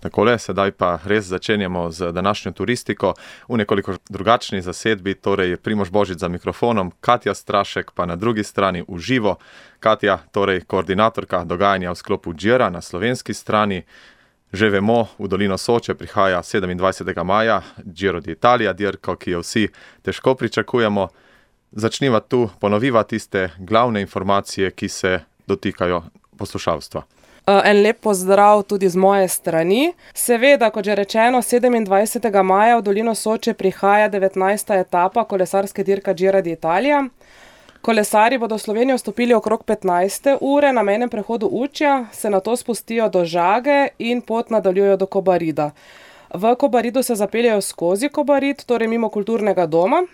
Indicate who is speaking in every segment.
Speaker 1: Takole, sedaj pa res začenjamo z današnjo turistiko v nekoliko drugačni zasedbi, torej Primož Božič za mikrofonom, Katja Strašek pa na drugi strani v živo. Katja, torej koordinatorka dogajanja v sklopu Gira na slovenski strani. Že vemo, v Dolino Soče prihaja 27. maja Giro d'Italia, dirko, ki jo vsi težko pričakujemo. Začniva tu, ponoviva tiste glavne informacije, ki se dotikajo poslušalstva.
Speaker 2: En lep pozdrav tudi z moje strani. Seveda, kot že rečeno, 27. maja v Dolino Soče prihaja 19. etapa kolesarske dirka Gira d'Italia. Kolesarji bodo v Slovenijo vstopili okrog 15. ure na mejnem prehodu Učja, se nato spustijo do Žage in pot nadaljujejo do Kobarida. V Kobaridu se zapeljejo skozi Kobarid, torej mimo kulturnega doma.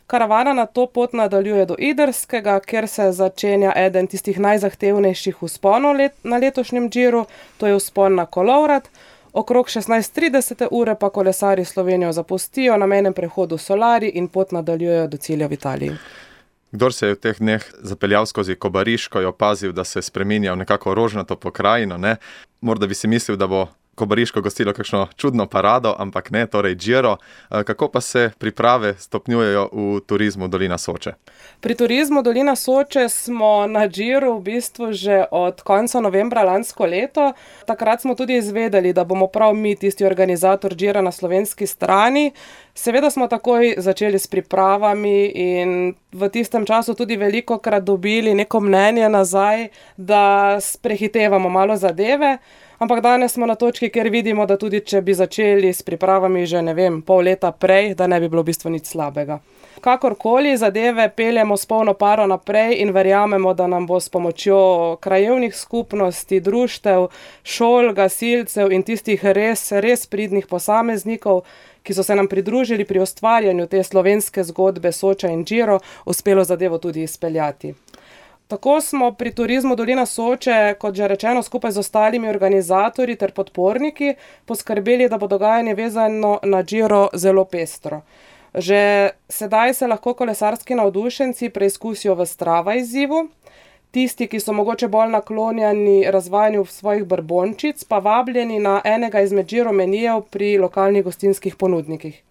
Speaker 2: Karavana na to pot nadaljuje do Idrskega, kjer se začenja eden tistih najzahtevnejših vzponov na letošnjem Giru, to je vzpon na Kolovrat. Okrog 16:30 ure pa kolesarji Slovenijo zapustijo na mejnem prehodu Solari in pot nadaljujejo do cilja v Italiji.
Speaker 1: Kdor se je v teh dneh zapeljal skozi Kobariško, je opazil, da se spreminja v nekako rožnato pokrajino, ne? Morda bi si mislil, da bo Kobariško gostilo kakšno čudno parado, ampak ne, torej Giro. Kako pa se priprave stopnjujejo v turizmu Dolina Soče?
Speaker 2: Pri turizmu Dolina Soče smo na Giru v bistvu že od konca novembra lansko leto. Takrat smo tudi izvedeli, da bomo prav mi tisti organizator Gira na slovenski strani. Seveda smo takoj začeli s pripravami in v tistem času tudi velikokrat dobili neko mnenje nazaj, da prehitevamo malo zadeve. Ampak danes smo na točki, kjer vidimo, da tudi če bi začeli s pripravami že, pol leta prej, da ne bi bilo v bistvu nič slabega. Kakorkoli zadeve peljemo s polno paro naprej in verjamemo, da nam bo s pomočjo krajevnih skupnosti, društev, šol, gasilcev in tistih res pridnih posameznikov, ki so se nam pridružili pri ustvarjanju te slovenske zgodbe Soča in Giro, uspelo zadevo tudi izpeljati. Tako smo pri turizmu Dolina Soče, kot že rečeno, skupaj z ostalimi organizatorji ter podporniki poskrbeli, da bo dogajanje vezano na Giro zelo pestro. Že sedaj se lahko kolesarski navdušenci preizkusijo v Strava izzivu, tisti, ki so mogoče bolj naklonjeni razvajanju svojih brbončic, pa vabljeni na enega izmed Giro menijev pri lokalnih gostinskih ponudnikih.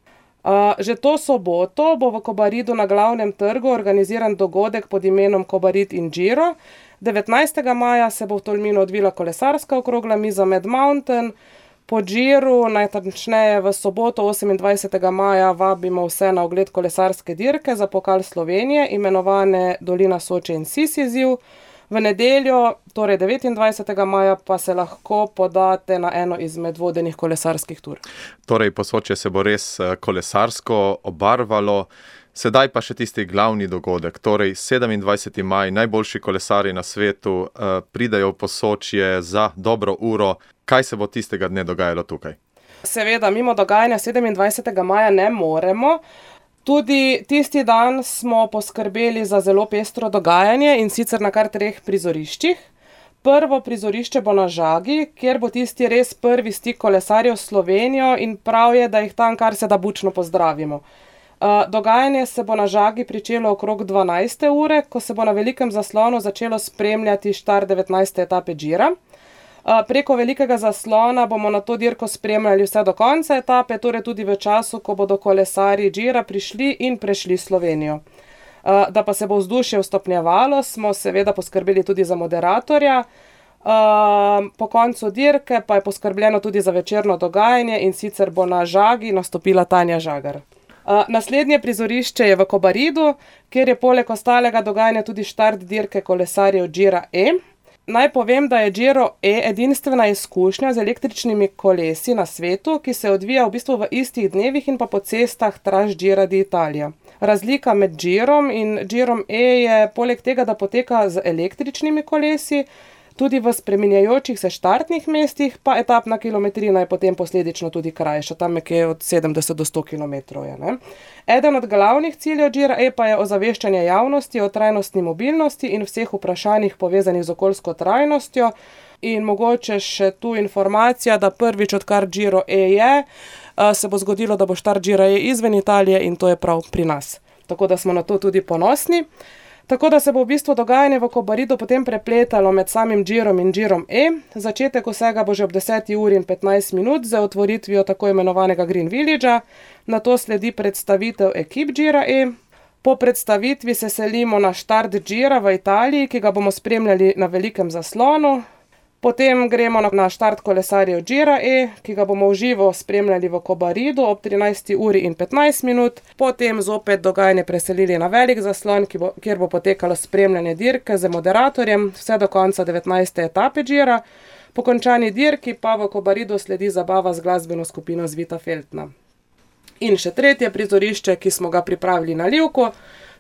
Speaker 2: Že to soboto bo v Kobaridu na glavnem trgu organiziran dogodek pod imenom Kobarid in Giro. 19. maja se bo v Tolminu odvila kolesarska okrogla miza Mad Mountain. Po Giru, najtačneje v soboto 28. maja, vabimo vse na ogled kolesarske dirke za pokal Slovenije, imenovane Dolina Soče in Sis izziv. V nedeljo, torej 29. maja, pa se lahko podate na eno izmed vodenih kolesarskih tur.
Speaker 1: Torej, po Soče se bo res kolesarsko obarvalo. Sedaj pa še tisti glavni dogodek, torej 27. maj, najboljši kolesarji na svetu pridajo v Posočje za dobro uro. Kaj se bo tistega dne dogajalo tukaj?
Speaker 2: Seveda, mimo dogajanja 27. maja ne moremo. Tudi tisti dan smo poskrbeli za zelo pestro dogajanje in sicer na kar 3 prizoriščih. Prvo prizorišče bo na Žagi, kjer bo tisti res prvi stik kolesarjev s Slovenijo in prav je, da jih tam kar se da bučno pozdravimo. Dogajanje se bo na Žagi pričelo okrog 12. ure, ko se bo na velikem zaslonu začelo spremljati štart 19. etape Gira. Preko velikega zaslona bomo na to dirko spremljali vse do konca etape, torej tudi v času, ko bodo kolesarji Gira prišli in prešli Slovenijo. Da pa se bo vzdušje stopnjevalo, smo seveda poskrbeli tudi za moderatorja. Po koncu dirke pa je poskrbljeno tudi za večerno dogajanje in sicer bo na Žagi nastopila Tanja Žagar. Naslednje prizorišče je v Kobaridu, kjer je poleg ostalega dogajanja tudi štart dirke kolesarjev Gira E. Naj povem, da je Giro E edinstvena izkušnja z električnimi kolesi na svetu, ki se odvija v bistvu v istih dnevih in pa po cestah tras Gira d'Italia. Razlika med Girom in Girom E je poleg tega, da poteka z električnimi kolesi, tudi v spreminjajočih se štartnih mestih, pa etapna kilometrina je potem posledično tudi krajša, tam nekje od 70 do 100 kilometrov je, ne. Eden od glavnih ciljev Gira E pa je ozaveščanje javnosti o trajnostni mobilnosti in vseh vprašanjih povezanih z okoljsko trajnostjo. In mogoče še tu informacija, da prvič, odkar Giro E je, se bo zgodilo, da bo štart Gira E izven Italije in to je prav pri nas. Tako da smo na to tudi ponosni. Tako da se bo v bistvu dogajanje v Kobaridu potem prepletalo med samim Girom in Girom E. Začetek vsega bo že ob 10:15 z otvoritvijo tako imenovanega Green Villagea, nato sledi predstavitev ekip Gira E. Po predstavitvi se selimo na štart Gira v Italiji, ki ga bomo spremljali na velikem zaslonu. Potem gremo na štart kolesarjev Gira E, ki ga bomo v živo spremljali v Kobaridu ob 13:15. Potem zopet dogajanje preselili na velik zaslon, kjer bo potekalo spremljanje dirke z moderatorjem vse do konca 19. etape Gira. Po končani dirki pa v Kobaridu sledi zabava z glasbeno skupino Zvita Feltna. In še tretje prizorišče, ki smo ga pripravili na Livku.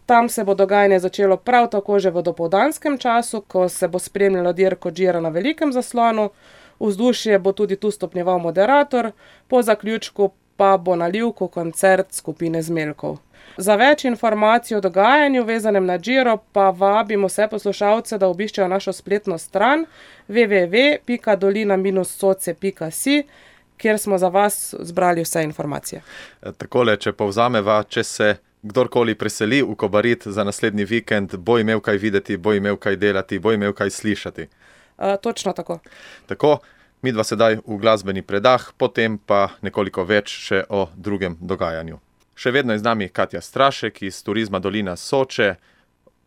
Speaker 2: Tam se bo dogajanje začelo prav tako že v dopoldanskem času, ko se bo spremljalo dirko Gira na velikem zaslonu. Vzdušje bo tudi tu stopnjeval moderator, po zaključku pa bo na Livku koncert skupine Zmeljkov. Za več informacij o dogajanju vezanem na Giro pa vabimo vse poslušalce, da obiščejo našo spletno stran www.dolina-soce.si, kjer smo za vas zbrali vse informacije.
Speaker 1: Takole, če povzameva, če se kdorkoli preseli v Kobarid za naslednji vikend, bo imel kaj videti, bo imel kaj delati, bo imel kaj slišati.
Speaker 2: Točno tako.
Speaker 1: Tako, midva sedaj v glasbeni predah, potem pa nekoliko več še o drugem dogajanju. Še vedno je z nami Katja Strašek iz Turizma Dolina Soče.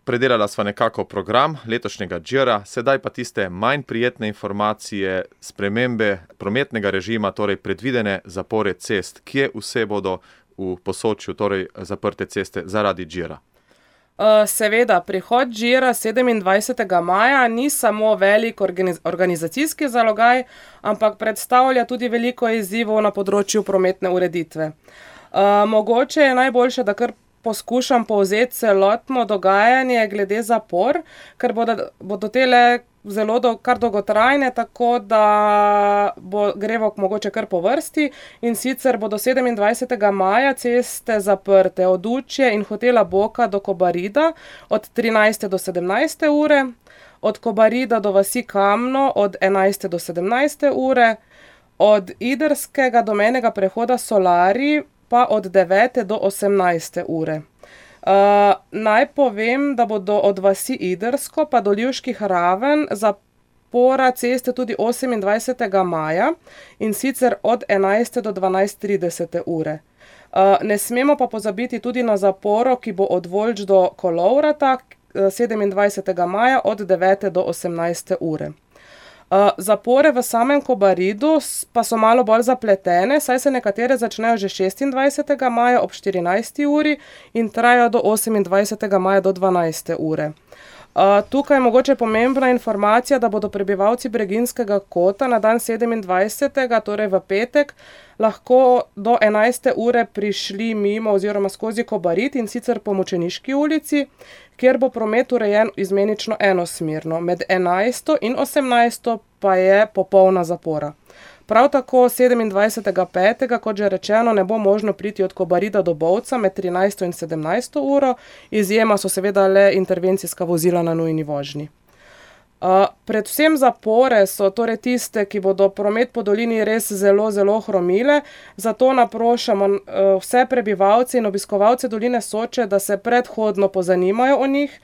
Speaker 1: Predelala sva nekako program letošnjega Gira, sedaj pa tiste manj prijetne informacije, spremembe prometnega režima, torej predvidene zapore cest. Kje vse bodo v Posočju, torej zaprte ceste zaradi Gira?
Speaker 2: Seveda, prihod Gira 27. maja ni samo velik organizacijski zalogaj, ampak predstavlja tudi veliko izzivov na področju prometne ureditve. Mogoče je najboljše, da kar poskušam povzeti celotno dogajanje glede zapor, ker bodo tele kar dolgotrajne, tako da gremo mogoče kar po vrsti. In sicer bodo 27. maja ceste zaprte od Učje in hotela Boka do Kobarida od 13. do 17. ure, od Kobarida do vasi Kamno od 11. do 17. ure, od Idrskega do mejnega prehoda Solari pa od 9. do 18. ure. Naj povem, da bodo od vasi Idrsko pa do Livških Raven zapora ceste tudi 28. maja in sicer od 11. do 12:30 ure. Ne smemo pa pozabiti tudi na zaporo, ki bo od Volč do Kolovrata 27. maja od 9. do 18. ure. Zapore v samem Kobaridu pa so malo bolj zapletene, saj se nekatere začnejo že 26. maja ob 14. uri in trajajo do 28. maja do 12. ure. Tukaj je mogoče pomembna informacija, da bodo prebivalci Breginjskega kota na dan 27., torej v petek, lahko do 11. ure prišli mimo oziroma skozi Kobarid in sicer po Mučeniški ulici, kjer bo promet urejen izmenično enosmerno. Med 11. in 18. pa je popolna zapora. Prav tako 27.5., kot že rečeno, ne bo možno priti od Kobarida do Bovca med 13. in 17. uro, izjema so seveda le intervencijska vozila na nujni vožnji. Predvsem zapore so torej tiste, ki bodo promet po dolini res zelo, zelo hromile, zato naprošamo vse prebivalce in obiskovalce doline Soče, da se predhodno pozanimajo o njih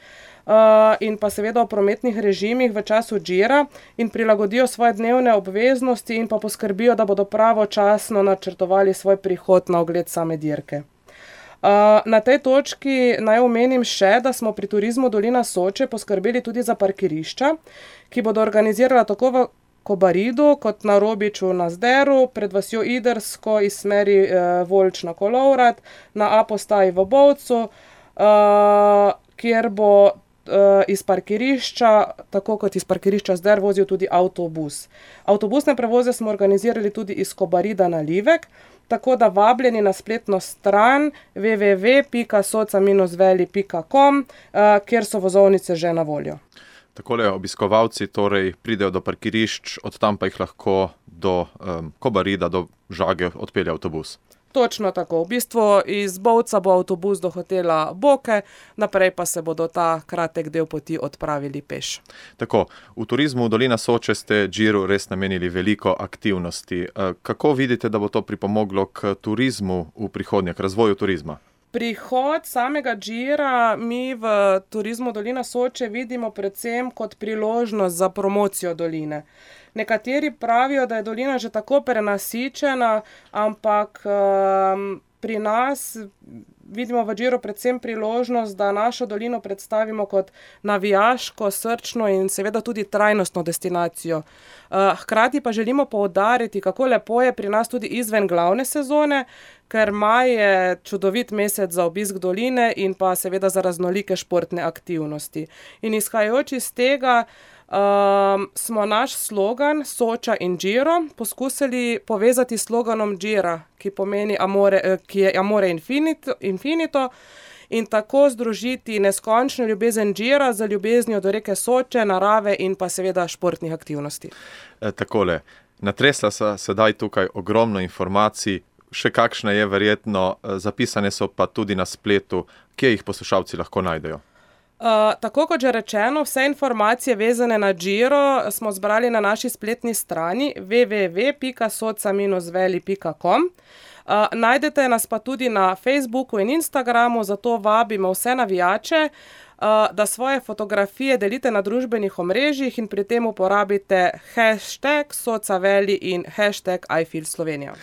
Speaker 2: in pa seveda o prometnih režimih v času Gira in prilagodijo svoje dnevne obveznosti in pa poskrbijo, da bodo pravočasno načrtovali svoj prihod na ogled same dirke. Na tej točki naj omenim še, da smo pri Turizmu Dolina Soče poskrbeli tudi za parkirišča, ki bodo organizirala tako v Kobaridu kot na Robiču na Zderu, pred vasjo Idrsko iz smeri Volč na Kolovrat, na A postaji v Bovcu, kjer bo iz parkirišča, tako kot iz parkirišča Zder, vozil tudi avtobus. Avtobusne prevoze smo organizirali tudi iz Kobarida na Livek, tako da vabljeni na spletno stran www.soca-veli.com, kjer so vozovnice že na voljo.
Speaker 1: Takole obiskovalci torej pridejo do parkirišč, od tam pa jih lahko do Kobarida, do Žage odpelje avtobus.
Speaker 2: Točno tako. V bistvu iz Bovca bo avtobus do hotela Boke, naprej pa se bodo ta kratek del poti odpravili peš.
Speaker 1: Tako, v Turizmu Dolina Soče ste Giru res namenili veliko aktivnosti. Kako vidite, da bo to pripomoglo k turizmu v prihodnje, k razvoju turizma?
Speaker 2: Prihod samega Gira mi v Turizmu Dolina Soče vidimo predvsem kot priložnost za promocijo doline. Nekateri pravijo, da je dolina že tako prenasičena, ampak pri nas vidimo v Giru predvsem priložnost, da našo dolino predstavimo kot navijaško, srčno in seveda tudi trajnostno destinacijo. Hkrati pa želimo poudariti, kako lepo je pri nas tudi izven glavne sezone, ker maj je čudovit mesec za obisk doline in pa seveda za raznolike športne aktivnosti. In izhajajoč iz tega smo naš slogan Soča in Giro poskusili povezati s sloganom Gira, ki pomeni ki je Amore Infinito, in tako združiti neskončno ljubezen Gira z ljubeznijo do reke Soče, narave in pa seveda športnih aktivnosti.
Speaker 1: Takole, natresla se sedaj tukaj ogromno informacij, še kakšna je verjetno, zapisane so pa tudi na spletu, kje jih poslušalci lahko najdejo.
Speaker 2: Tako kot že rečeno, vse informacije vezane na Giro smo zbrali na naši spletni strani www.soca-veli.com. Najdete nas pa tudi na Facebooku in Instagramu, zato vabimo vse navijače, da svoje fotografije delite na družbenih omrežjih in pri tem uporabite hashtag #SocaVeli in hashtag #IFeelSlovenija.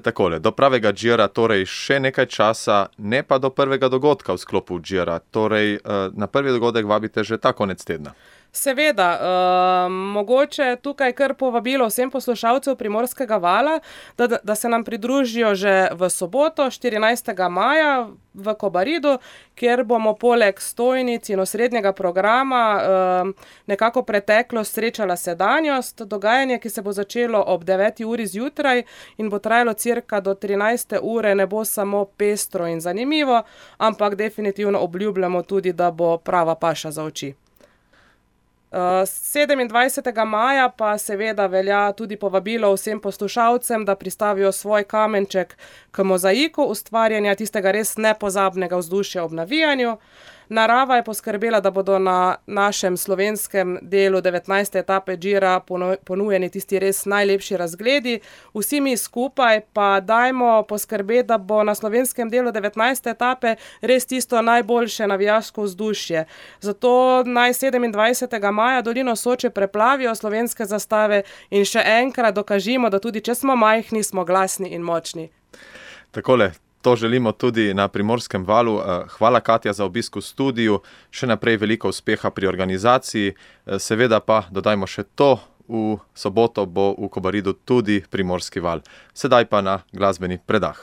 Speaker 1: Takole, do pravega Gira torej še nekaj časa, ne pa do prvega dogodka v sklopu Gira. Torej, na prvi dogodek vabite že ta konec tedna.
Speaker 2: Seveda, mogoče tukaj kar povabilo vsem poslušalcev Primorskega vala, da se nam pridružijo že v soboto, 14. maja v Kobaridu, kjer bomo poleg stojnic in osrednjega programa nekako preteklost srečala sedanjost. Dogajanje, ki se bo začelo ob 9. uri zjutraj in bo trajalo cirka do 13. ure, ne bo samo pestro in zanimivo, ampak definitivno obljubljamo tudi, da bo prava paša za oči. 27. maja pa seveda velja tudi povabilo vsem poslušalcem, da pristavijo svoj kamenček k mozaiku ustvarjanja tistega res nepozabnega vzdušja ob navijanju. Narava je poskrbela, da bodo na našem slovenskem delu 19. etape Gira ponujeni tisti res najlepši razgledi. Vsi mi skupaj pa dajmo poskrbeti, da bo na slovenskem delu 19. etape res tisto najboljše navijaško vzdušje. Zato naj 27. maja dolino Soče preplavijo slovenske zastave in še enkrat dokažimo, da tudi če smo majhni, smo glasni in močni.
Speaker 1: Takole. To želimo tudi na Primorskem valu. Hvala, Katja, za obisk v studiu. Še naprej veliko uspeha pri organizaciji. Seveda pa dodajmo še to, v soboto bo v Kobaridu tudi Primorski val. Sedaj pa na glasbeni predah.